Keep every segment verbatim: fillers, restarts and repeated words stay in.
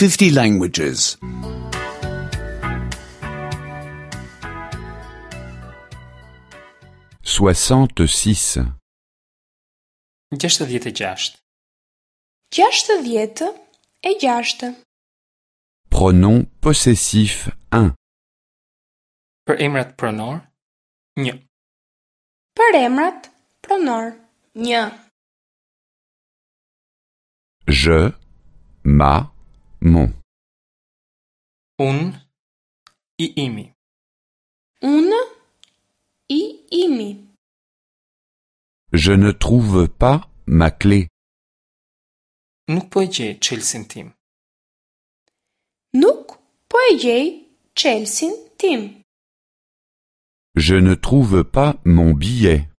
fifty languages. soixante-six. Gjashtëdhjetë e gjashtë. Gjashtëdhjetë e gjashtë. Pronom possessif un. Për emrat pronor, një. Për emrat pronor, një. Je, ma, mon. Unë, i imi. Unë, i imi. Je ne trouve pas ma clé. Nuk po e gjej çelësin tim. Nuk po e gjej çelësin tim. Je ne trouve pas mon billet.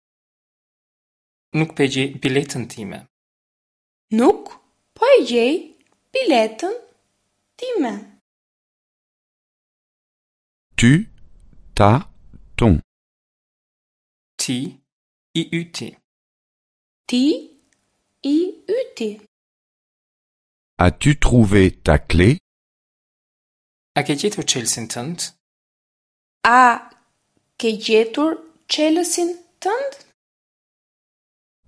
Nuk po e gjej biletën time. Nuk po e gjej biletën time. Tu, ta, ton. Ti, i yti. Ti, i yti. As-tu trouvé ta clé? A ke gjetur çelësin tënd? A ke gjetur çelësin tënd?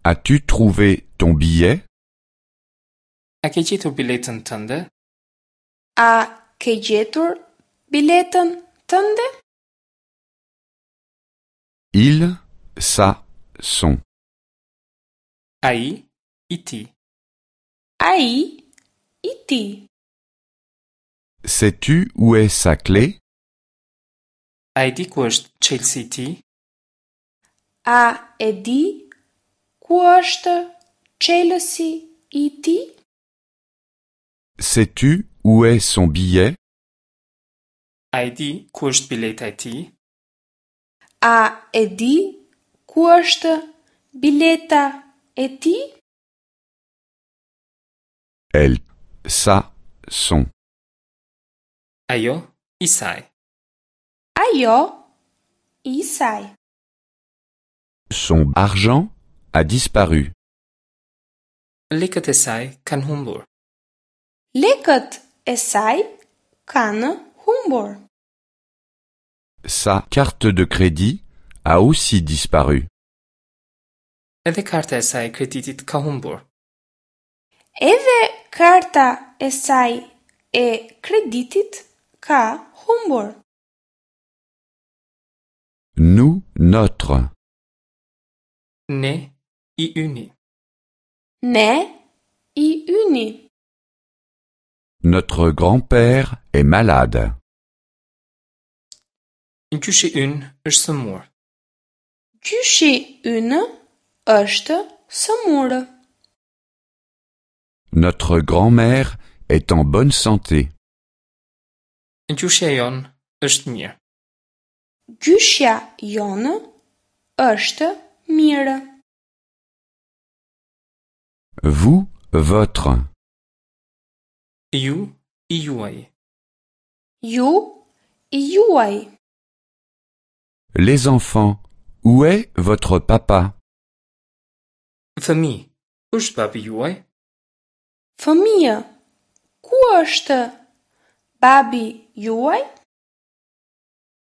As-tu trouvé ton billet? A ke gjetur biletën tënde? A ke gjetur biletën tënde? Il, sa, son. Ai, i tij. Ai, i tij. Sais-tu où est sa clé? A e di ku është çelësi i tij? A e di ku është çelësi i tij? Sais-tu où est son billet? A e di ku është bileta e tij? A e di ku është bileta e tij? Elle, sa, son. Ajo, i saj. Ajo, i saj. Son argent a disparu. Lekët e saj kanë humbur. Lekët e saj kanë humbur. Sa carte de crédit a aussi disparu. Edhe karta e saj e kreditit ka humbur. Edhe karta e saj e kreditit ka humbur. Nous, notre. Ne, i yni. Ne, i yni. Notre grand-père est malade. Gjyshi ynë është sëmur. Gjyshi ynë është sëmurë. Notre grand-mère est en bonne santé. Gjyshja jonë është mirë. Gjyshja jonë është mirë. Vous, votre. Ju, i juaj. Ju, i juaj. Les enfants, où est votre papa? Fëmijë, ku është babi juaj? Fëmijë, ku është babi juaj?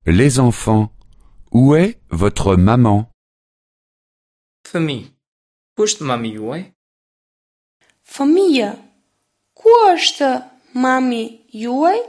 Les enfants, où est votre maman? Fëmijë, ku është mami juaj? Fëmijë, ku është mami juaj?